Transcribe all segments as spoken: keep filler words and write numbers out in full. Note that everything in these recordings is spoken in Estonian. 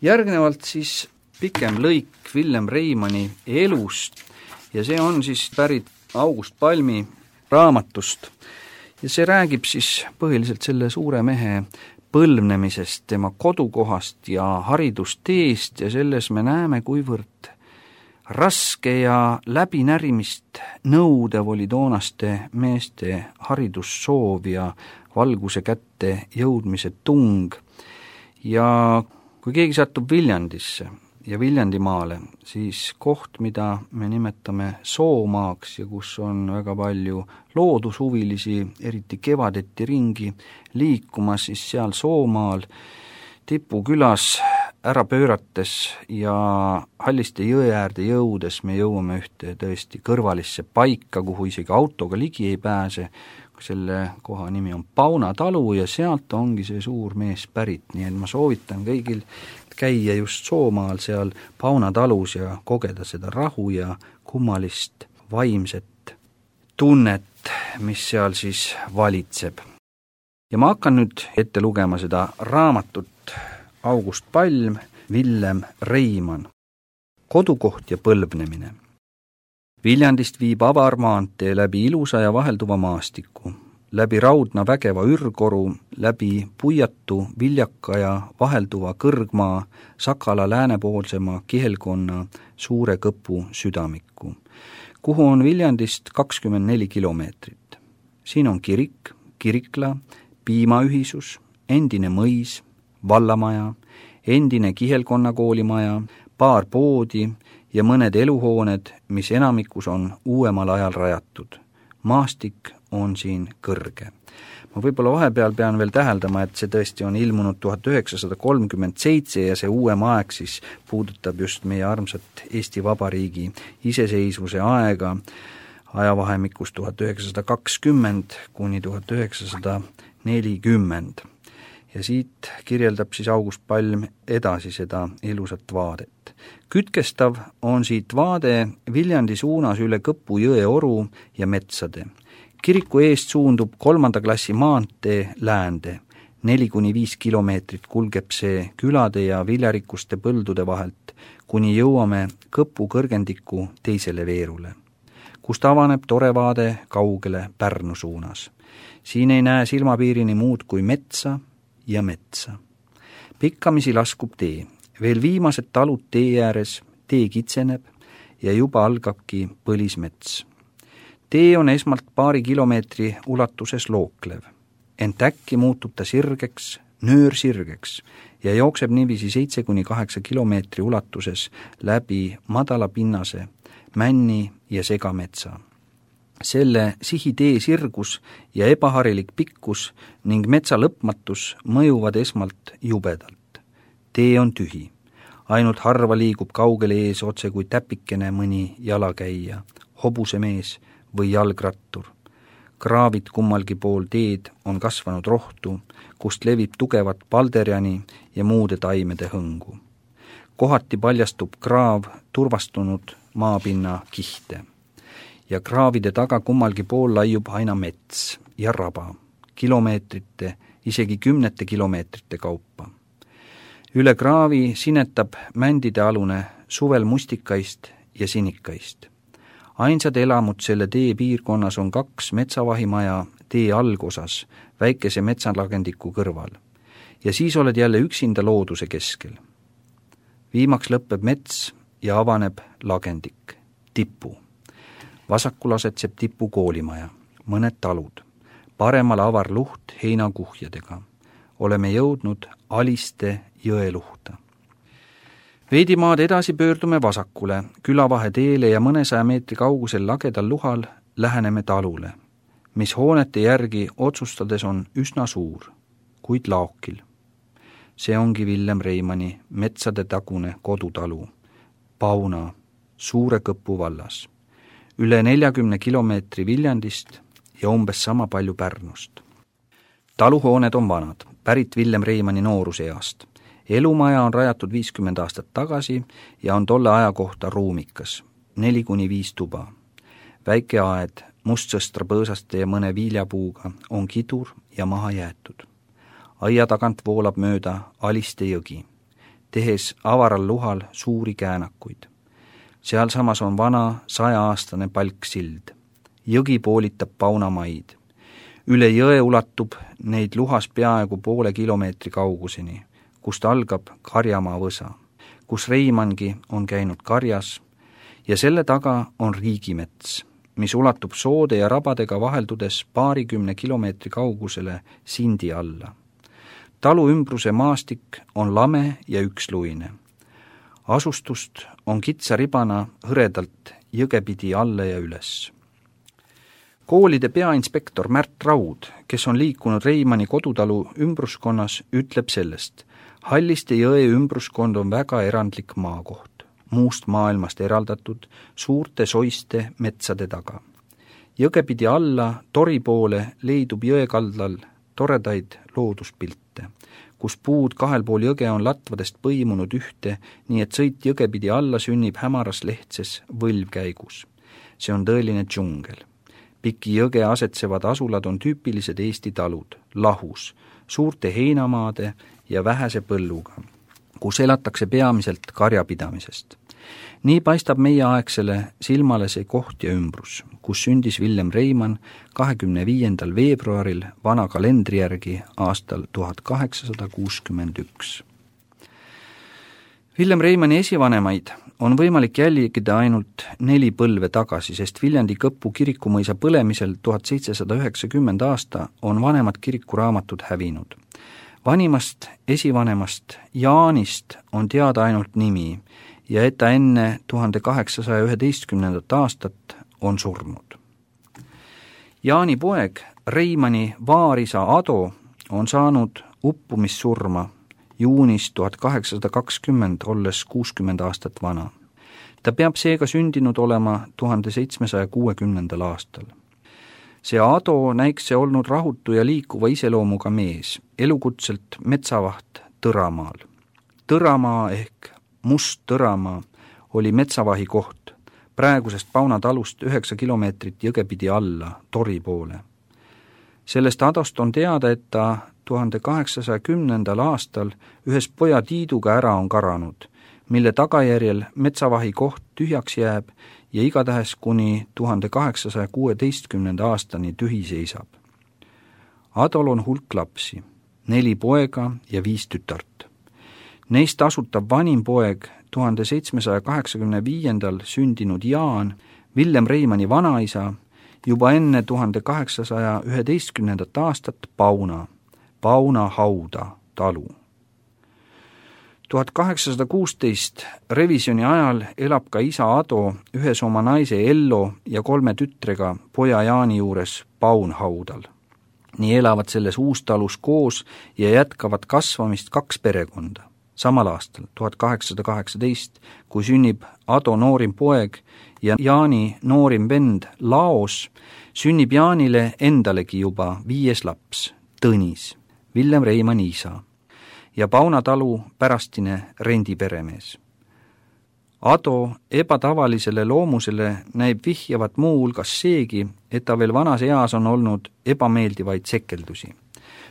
Järgnevalt siis pikem lõik Villem Reimanni elust ja see on siis pärit August Palmi raamatust ja see räägib siis põhiliselt selle suure mehe põlvnemisest, tema kodukohast ja haridusteest ja selles me näeme, kuivõrd raske ja läbinärimist nõudev oli toonaste meeste haridussoov ja valguse kätte jõudmise tung ja kui keegi satub Viljandisse ja Viljandimaale, siis koht, mida me nimetame Soomaaks ja kus on väga palju loodushuvilisi, eriti kevadeti ringi liikumas, siis seal Soomaal Tipu külas ära pöörates ja Halliste jõe äärde jõudes me jõuame ühte tõesti kõrvalisse paika, kuhu isegi autoga ligi ei pääse. Selle koha nimi on Pauna talu ja sealt ongi see suur mees pärit, nii et ma soovitan kõigil käia just Soomaal seal Pauna talus ja kogeda seda rahu ja kummalist vaimset tunnet, mis seal siis valitseb. Ja ma hakkan nüüd ette lugema seda raamatut August Palm, Villem Reimann. Kodukoht ja põlvnemine. Viljandist viib avarmaantee läbi ilusa ja vahelduva maastiku, läbi raudna vägeva ürgoru, läbi puiatu, viljaka ja vahelduva kõrgmaa, Sakala läänepoolsema kihelkonna suure kõpu südamiku, kuhu on Viljandist kakskümmend neli kilomeetrit. Siin on kirik, kirikla, piimaühisus, endine mõis, vallamaja, endine kihelkonna koolimaja, paar poodi ja mõned eluhooned, mis enamikus on uuemal ajal rajatud. Maastik on siin kõrge. Ma võib-olla vahepeal pean veel täheldama, et see tõesti on ilmunud tuhat üheksasada kolmkümmend seitse ja see uuem aeg siis puudutab just meie armsat Eesti Vabariigi iseseisvuse aega ajavahemikus tuhat üheksasada kakskümmend kuni tuhat üheksasada nelikümmend. Ja siit kirjeldab siis August Palm edasi seda ilusat vaadet. Kütkestav on siit vaade Viljandi suunas üle Kõpu jõe oru ja metsade. Kiriku eest suundub kolmanda klassi maantee läände. Neli kuni viis kilomeetrit kulgeb see külade ja viljarikuste põldude vahelt, kuni jõuame Kõpu kõrgendiku teisele veerule, kust avaneb tore vaade kaugele Pärnu suunas. Siin ei näe silmapiirini muud kui metsa ja metsa. Pikkamisi laskub tee. Veel viimased talud tee ääres, tee kitseneb ja juba algabki põlismets. Tee on esmalt paari kilomeetri ulatuses looklev. Ent äkki muutub ta sirgeks, nöörsirgeks ja jookseb niiviisi seitse kuni kaheksa kilomeetri ulatuses läbi madala pinnase, männi ja segametsa. Selle sihitee sirgus ja ebaharilik pikkus ning metsa lõpmatus mõjuvad esmalt jubedalt. Tee on tühi. Ainult harva liigub kaugele ees otse kui täpikene mõni jalakäija, hobusemees või jalgrattur. Kraavid kummalgi pool teed on kasvanud rohtu, kust levib tugevat palderjani ja muude taimede hõngu. Kohati paljastub kraav turvastunud maapinna kihte. Ja kraavide taga kummalgi pool laiub aina mets ja raba, kilomeetrite, isegi kümnete kilomeetrite kaupa. Üle kraavi sinetab mändide alune suvel mustikaist ja sinikaist. Ainsad elamud selle tee piirkonnas on kaks metsavahimaja tee algosas, väikese metsalagendiku kõrval. Ja siis oled jälle üksinda looduse keskel. Viimaks lõpeb mets ja avaneb lagendik, Tipu. Vasakul asetseb Tipu koolimaja, mõned talud, paremal avar luht heinakuhjadega. Oleme jõudnud Aliste jõeluhta. Veidi maad edasi pöördume vasakule, külavahe teele ja mõnesaja meetri kaugusel lagedal luhal läheneme talule, mis hoonete järgi otsustades on üsna suur, kuid laokil. See ongi Villem Reimanni metsade tagune kodutalu, Pauna, Suure Kõpu vallas. Üle neljakümne kilomeetri Viljandist ja umbes sama palju Pärnust. Taluhooned on vanad, pärit Villem Reimanni nooruseast. Elumaja on rajatud viiskümmend aastat tagasi ja on tolle aja kohta ruumikas, neli kuni viis tuba. Väike aed, mustsõstra põõsaste ja mõne viljapuuga on kidur ja maha jäetud. Aia tagant voolab mööda Aliste jõgi. tehes avaral luhal suuri käänakuid. Sealsamas on vana sajaaastane palksild. Jõgi poolitab Paunamaid. Üle jõe ulatub neid luhas peaaegu poole kilomeetri kauguseni, kust algab Karjamaa võsa, kus Reimangi on käinud karjas, ja selle taga on riigimets, mis ulatub soode ja rabadega vaheldudes paarikümne kilomeetri kaugusele Sindi alla. Talu ümbruse maastik on lame ja üksluine. Asustust on kitsa ribana hõredalt jõgepidi alla ja üles. Koolide peainspektor Märt Raud, kes on liikunud Reimanni kodutalu ümbruskonnas, ütleb sellest: Halliste jõe ümbruskond on väga erandlik maakoht, muust maailmast eraldatud suurte soiste metsade taga. Jõgepidi alla Tori poole leidub jõekaldal toredaid looduspilte, kus puud kahel pool jõge on latvadest põimunud ühte, nii et sõit jõgepidi alla sünnib hämaras lehtses võlvkäigus. See on tõeline džungel. Piki jõge asetsevad asulad on tüüpilised Eesti talud, lahus, suurte heinamaade ja vähese põlluga, kus elatakse peamiselt karjapidamisest. Nii paistab meieaegsele silmale see koht ja ümbrus, kus sündis Villem Reimann kahekümne viiendal veebruaril vana kalendri järgi aastal tuhat kaheksasada kuuskümmend üks. Villem Reimanni esivanemaid on võimalik jälgida ainult neli põlve tagasi, sest Viljandi Kõpu kirikumõisa põlemisel tuhat seitsesada üheksakümmend aasta on vanemad kirikuraamatud hävinud. Vanimast esivanemast Jaanist on teada ainult nimi ja et ta enne tuhande kaheksasaja üheteistkümnendat aastat on surnud. Jaani poeg, Reimanni vaarisa Ado, on saanud uppumissurma juunis tuhat kaheksasada kakskümmend, olles kuuskümmend aastat vana. Ta peab seega sündinud olema tuhande seitsmesaja kuuekümnendal aastal. See Ado näiks see olnud rahutu ja liikuva iseloomuga mees, elukutselt metsavaht Tõramaal. Tõramaa ehk Must Tõramaa oli metsavahi koht, praegusest Pauna talust üheksa kilomeetrit jõgepidi alla Tori poole. Sellest Adost on teada, et ta tuhande kaheksasaja kümnendal aastal ühes poja Tiiduga ära on karanud, mille tagajärjel metsavahi koht tühjaks jääb ja igatahes kuni tuhande kaheksasaja kuueteistkümnenda aastani tühi seisab. Adol on hulk lapsi, neli poega ja viis tütart. Neist asutab vanim poeg tuhande seitsmesaja kaheksakümne viiendal sündinud Jaan, Villem Reimanni vanaisa, juba enne tuhande kaheksasaja üheteistkümnendat aastat Pauna, Pauna hauda talu. tuhat kaheksasada kuusteist revisjoni ajal elab ka isa Ado ühes oma naise Ello ja kolme tütrega poja Jaani juures Paunhaudal. Nii elavad selles uustalus koos ja jätkavad kasvamist kaks perekonda. Samal aastal, tuhat kaheksasada kaheksateist, kui sünnib Ado noorim poeg ja Jaani noorim vend Laos, sünnib Jaanile endalegi juba viies laps, Tõnis, Villem Reimanni isa ja Pauna talu pärastine rendiperemees. Ado ebatavalisele loomusele näib vihjavat muu hulgas seegi, et ta veel vanas eas on olnud ebameeldivaid sekeldusi.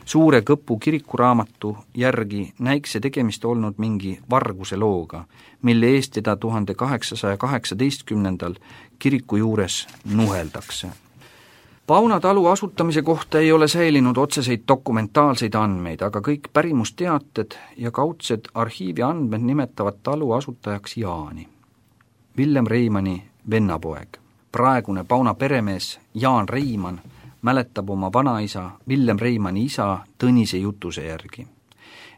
Suure Kõpu kirikuraamatu järgi näiks see tegemist olnud mingi varguse looga, mille eest teda tuhande kaheksasaja kaheksateistkümnendal kiriku juures nuheldakse. Pauna talu asutamise kohta ei ole säilinud otseseid dokumentaalseid andmeid, aga kõik pärimusteated ja kaudsed arhiivi andmed nimetavad talu asutajaks Jaani, Villem Reimanni vennapoeg. Praegune Pauna peremees Jaan Reimann mäletab oma vanaisa Villem Reimanni isa Tõnise jutuse järgi,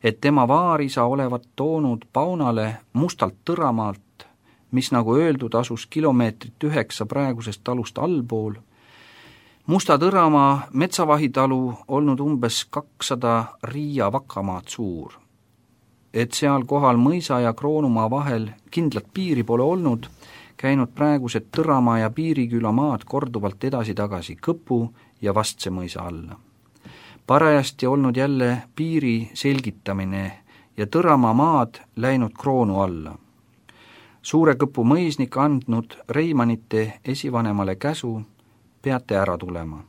et tema vaarisa olevat toonud Paunale Mustalt Tõramaalt, mis nagu öeldud asus kilomeetrit üheksa praegusest talust allpool, Musta Tõramaa metsavahitalu olnud umbes kakssada riia vakamaad suur. Et seal kohal mõisa ja Kroonumaa vahel kindlat piiri pole olnud, käinud praegused Tõramaa ja Piiriküla maad korduvalt edasi-tagasi Kõpu ja Vastse mõisa alla. Parajasti olnud jälle piiri selgitamine ja Tõramaa maad läinud Kroonu alla. Suure Kõpu mõisnik andnud Reimannite esivanemale käsu, peate ära tulema.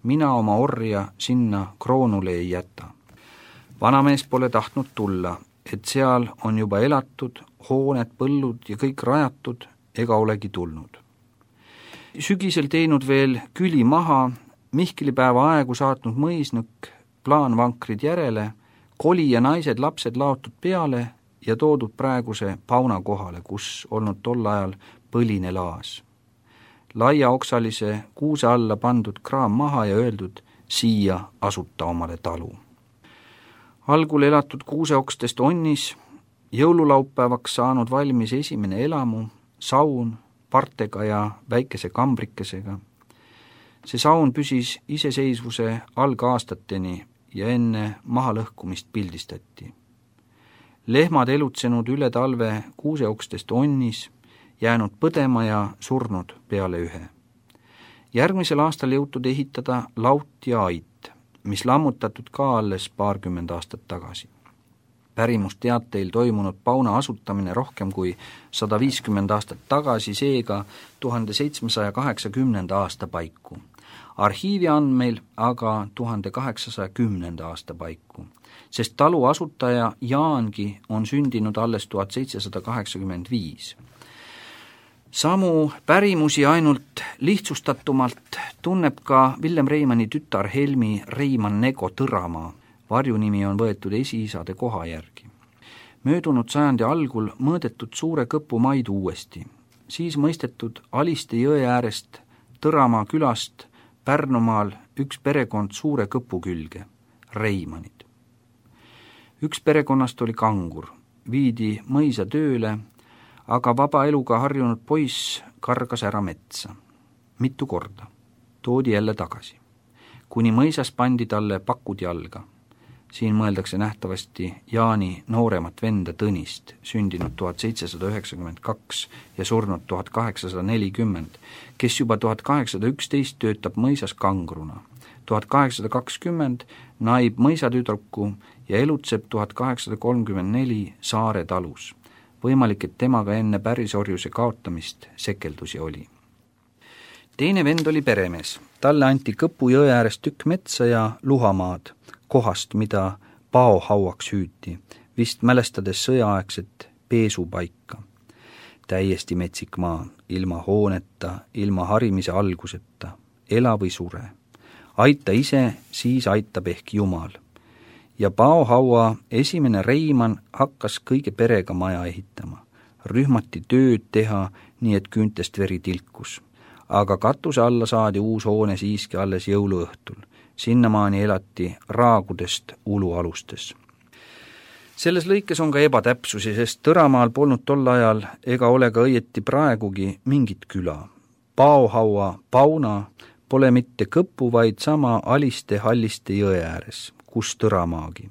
Mina oma orja sinna Kroonule ei jäta. Vanamees pole tahtnud tulla, et seal on juba elatud, hooned, põllud ja kõik rajatud ega olegi tulnud. Sügisel teinud veel küli maha, Mihklipäeva aegu saatnud mõisnõkk, plaanvankrid järele, koli ja naised, lapsed laotud peale ja toodud praeguse Pauna kohale, kus olnud tol ajal põline laas. Laia oksalise kuuse alla pandud kraam maha ja öeldud, siia asuta omale talu. Algul elatud kuuseokstest onnis, jõululaupäevaks saanud valmis esimene elamu, saun, partega ja väikese kambrikesega. See saun püsis iseseisvuse algaastateni ja enne mahalõhkumist pildistati. Lehmad elutsenud üle talve kuuseokstest onnis, jäänud põdema ja surnud peale ühe. Järgmisel aastal jõutud ehitada laut ja ait, mis lammutatud ka alles paarkümmend aastat tagasi. Pärimusteateil toimunud Pauna asutamine rohkem kui sada viiskümmend aastat tagasi, seega tuhande seitsmesaja kaheksakümnenda aasta paiku. Arhiivi andmeil aga tuhande kaheksasaja kümnenda aasta paiku, sest talu asutaja Jaangi on sündinud alles tuhat seitsesada kaheksakümmend viis. Samu pärimusi ainult lihtsustatumalt tunneb ka Villem Reimanni tütar Helmi Reimann Nego Tõramaa. Varjunimi on võetud esiisade koha järgi. Möödunud sajandi algul mõõdetud Suure Kõpu maid uuesti, siis mõistetud Aliste jõe äärest Tõramaa külast Pärnumaal üks perekond Suure Kõpu külge, Reimannid. Üks perekonnast oli kangur, viidi mõisa tööle, aga vaba eluga harjunud poiss kargas ära metsa. Mitu korda. Toodi jälle tagasi. Kuni mõisas pandi talle pakud jalga. Siin mõeldakse nähtavasti Jaani nooremat venda Tõnist, sündinud tuhat seitsesada üheksakümmend kaks ja surnud tuhat kaheksasada nelikümmend, kes juba tuhat kaheksasada üksteist töötab mõisas kangruna. tuhat kaheksasada kakskümmend naib mõisatüdruku ja elutseb tuhat kaheksasada kolmkümmend neli Saare talus. Võimalik, et temaga enne pärisorjuse kaotamist sekeldusi oli. Teine vend oli peremees. Talle anti Kõpu jõe äärest tükk metsa ja luhamaad, kohast, mida paohauaks hüüti, vist mälestades sõjaaegset peesupaika. Täiesti metsik maa, ilma hooneta, ilma harimise alguseta, ela või sure. Aita ise, siis aitab ehk Jumal. Ja paohaua esimene Reimann hakkas kõige perega maja ehitama. Rühmati tööd teha, nii et küüntest veri tilkus. Aga katuse alla saadi uus hoone siiski alles jõuluõhtul. Sinnamaani elati raagudest ulualustes. Selles lõikes on ka ebatäpsusi, sest Tõramaal polnud tol ajal ega ole ka õieti praegugi mingit küla. Paohaua Pauna pole mitte Kõpu, vaid sama Aliste Halliste jõe ääres, kus Tõramaagi.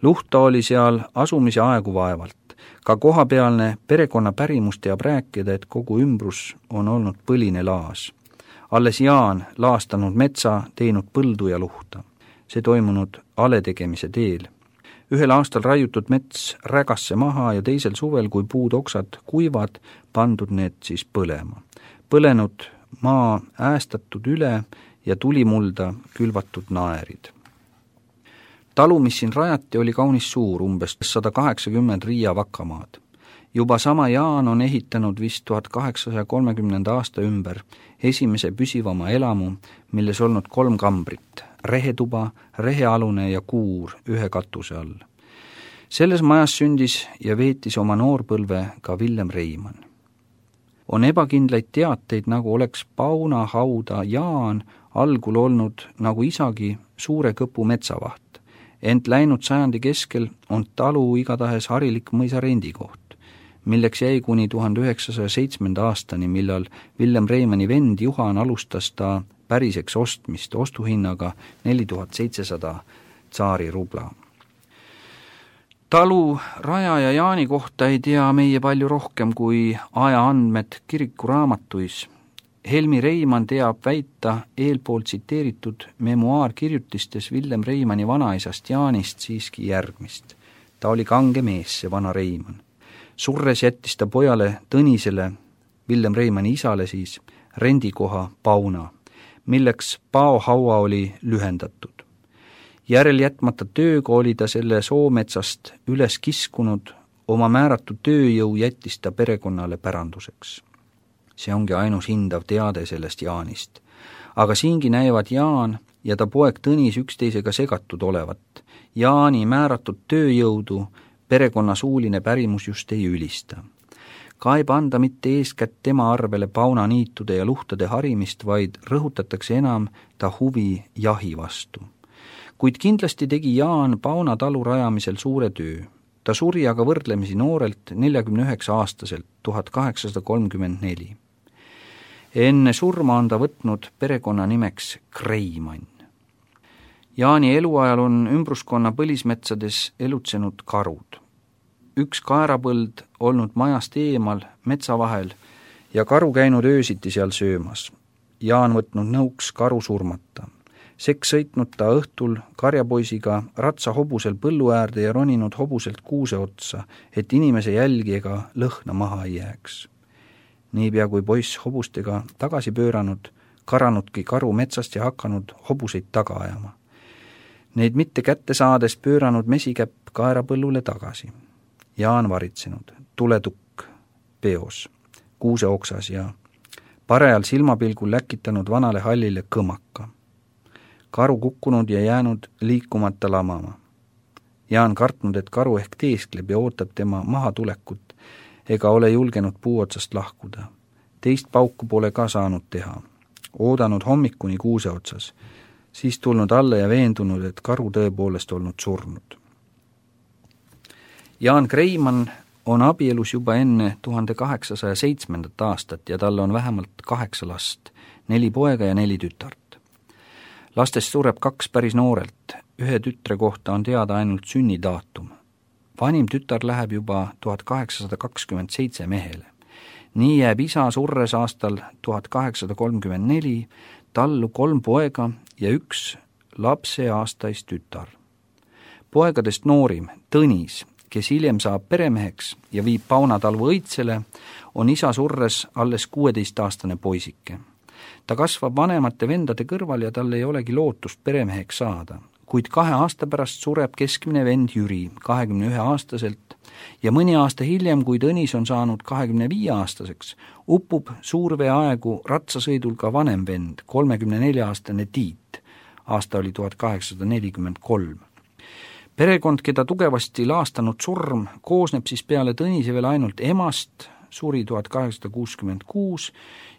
Luhta oli seal asumise aegu vaevalt. Ka kohapealne perekonna pärimus teab rääkida, et kogu ümbrus on olnud põline laas. Alles Jaan laastanud metsa, teinud põldu ja luhta. See toimunud aletegemise teel. Ühel aastal raiutud mets rägasse maha ja teisel suvel, kui puud oksad kuivad, pandud need siis põlema. Põlenud maa äästatud üle ja tulimulda külvatud naerid. Talu, mis siin rajati, oli kaunis suur, umbes sada kaheksakümmend riia vakamaad. Juba sama Jaan on ehitanud vist tuhat kaheksasaja kolmekümnenda aasta ümber esimese püsivama elamu, milles olnud kolm kambrit, rehetuba, rehealune ja kuur ühe katuse all. Selles majas sündis ja veetis oma noorpõlve ka Villem Reimann. On ebakindlaid teateid, nagu oleks Pauna hauda Jaan algul olnud nagu isagi Suure Kõpu metsavaht. Ent läinud sajandi keskel on talu igatahes harilik mõisa rendikoht, milleks jäi kuni tuhande üheksasaja seitsmenda aastani, millal Villem Reimanni vend Juhan alustas ta päriseks ostmist ostuhinnaga neli tuhat seitsesada tsaari rubla. Talu Raja ja Jaani kohta ei tea meie palju rohkem kui ajaandmed kirikuraamatuis. Helmi Reimann teab väita eelpool tsiteeritud memuaarkirjutistes Villem Reimanni vanaisast Jaanist siiski järgmist. Ta oli kange mees, see vana Reimann. Surres jättis ta pojale Tõnisele, Villem Reimanni isale siis, rendikoha Pauna, milleks paohaua oli lühendatud. järel jätmata tööga oli ta selle soometsast üles kiskunud, oma määratud tööjõu jättis ta perekonnale päranduseks. See ongi ainus hindav teade sellest Jaanist. Aga siingi näivad Jaan ja ta poeg Tõnis üksteisega segatud olevat. Jaani määratud tööjõudu perekonna suuline pärimus just ei ülista. Ka ei panda mitte eeskätt tema arvele paunaniitude ja luhtade harimist, vaid rõhutatakse enam ta huvi jahi vastu. Kuid kindlasti tegi Jaan Pauna talu rajamisel suure töö. Ta suri aga võrdlemisi noorelt neljakümne üheksa aastaselt tuhat kaheksasada kolmkümmend neli. Enne surma on ta võtnud perekonna nimeks Kreimann. Jaani eluajal on ümbruskonna põlismetsades elutsenud karud. Üks kaerapõld olnud majast eemal metsa vahel ja karu käinud öösiti seal söömas. Jaan võtnud nõuks karu surmata. Seks sõitnud ta õhtul karjapoisiga ratsa hobusel põllu äärde ja roninud hobuselt kuuse otsa, et inimese jälgi ega lõhna maha ei jääks. Niipea kui poiss hobustega tagasi pööranud, karanudki karu metsast ja hakanud hobuseid taga ajama. Neid mitte kätte saades pööranud mesikäpp kaerapõllule tagasi. Jaan varitsenud, tuletukk peos, kuuse oksas ja parajal silmapilgul läkitanud vanale hallile kõmaka. Karu kukkunud ja jäänud liikumata lamama. Jaan kartnud, et karu ehk teeskleb ja ootab tema mahatulekut, ega ole julgenud puu otsast lahkuda. Teist pauku pole ka saanud teha. Oodanud hommikuni kuuse otsas, siis tulnud alla ja veendunud, et karu tõepoolest olnud surnud. Jaan Kreimann on abielus juba enne tuhande kaheksasaja seitsmendat aastat ja tal on vähemalt kaheksa last, neli poega ja neli tütart. Lastest sureb kaks päris noorelt, ühe tütre kohta on teada ainult sünnidaatum. Vanim tütar läheb juba tuhat kaheksasada kakskümmend seitse mehele. Nii jääb isa surres aastal tuhat kaheksasada kolmkümmend neli tallu kolm poega ja üks lapseaastais tütar. Poegadest noorim, Tõnis, kes hiljem saab peremeheks ja viib Pauna talvu õitsele, on isa surres alles kuueteistaastane poisike. Ta kasvab vanemate vendade kõrval ja tal ei olegi lootust peremeheks saada, kuid kahe aasta pärast sureb keskmine vend Jüri kahekümne ühe aastaselt ja mõni aasta hiljem, kui Tõnis on saanud kahekümne viie aastaseks, upub suurveeaegu ratsasõidul ka vanem vend, kolmekümne nelja aastane Tiit. Aasta oli tuhat kaheksasada nelikümmend kolm. Perekond, keda tugevasti laastanud surm, koosneb siis peale Tõnise veel ainult emast, suri tuhat kaheksasada kuuskümmend kuus,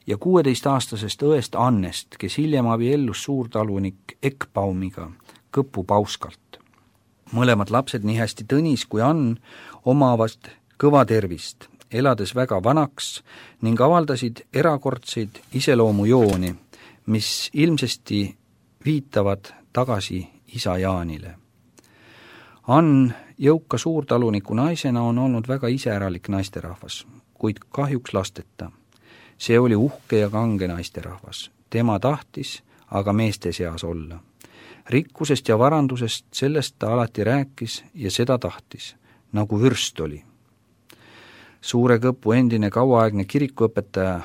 ja kuueteistaastasest õest Annest, kes hiljem abiellus suurtalunik Ekbaumiga, Kõpu Pauskalt. Mõlemad lapsed, nii hästi Tõnis kui Ann, omavad kõva tervist, elades väga vanaks ning avaldasid erakordseid iseloomujooni, mis ilmsesti viitavad tagasi isa Jaanile. Ann jõuka suurtaluniku naisena on olnud väga iseäralik naisterahvas, kuid kahjuks lasteta. See oli uhke ja kange naisterahvas. Tema tahtis aga meeste seas olla. Rikkusest ja varandusest sellest ta alati rääkis ja seda tahtis, nagu vürst oli. Suure Kõpu endine kauaaegne kirikuõpetaja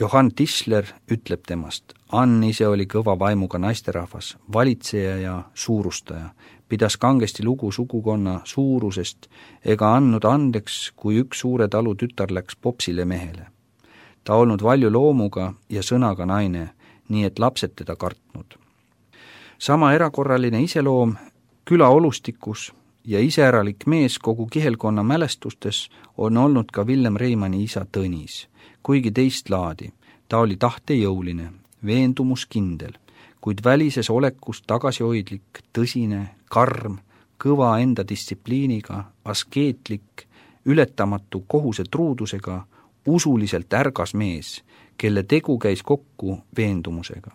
Johann Tisler ütleb temast: Ann ise oli kõva vaimuga naisterahvas, valitseja ja suurustaja, pidas kangesti lugu sugukonna suurusest ega andnud andeks, kui üks suure talu tütar läks popsile mehele. Ta olnud valju loomuga ja sõnaga naine, nii et lapsed teda kartnud. Sama erakorraline iseloom küla olustikus ja iseäralik mees kogu kihelkonna mälestustes on olnud ka Villem Reimanni isa Tõnis, kuigi teist laadi. Ta oli tahtejõuline, veendumuskindel, kuid välises olekus tagasihoidlik, tõsine, karm, kõva enda distsipliiniga, askeetlik, ületamatu kohuse truudusega, usuliselt ärgas mees, kelle tegu käis kokku veendumusega.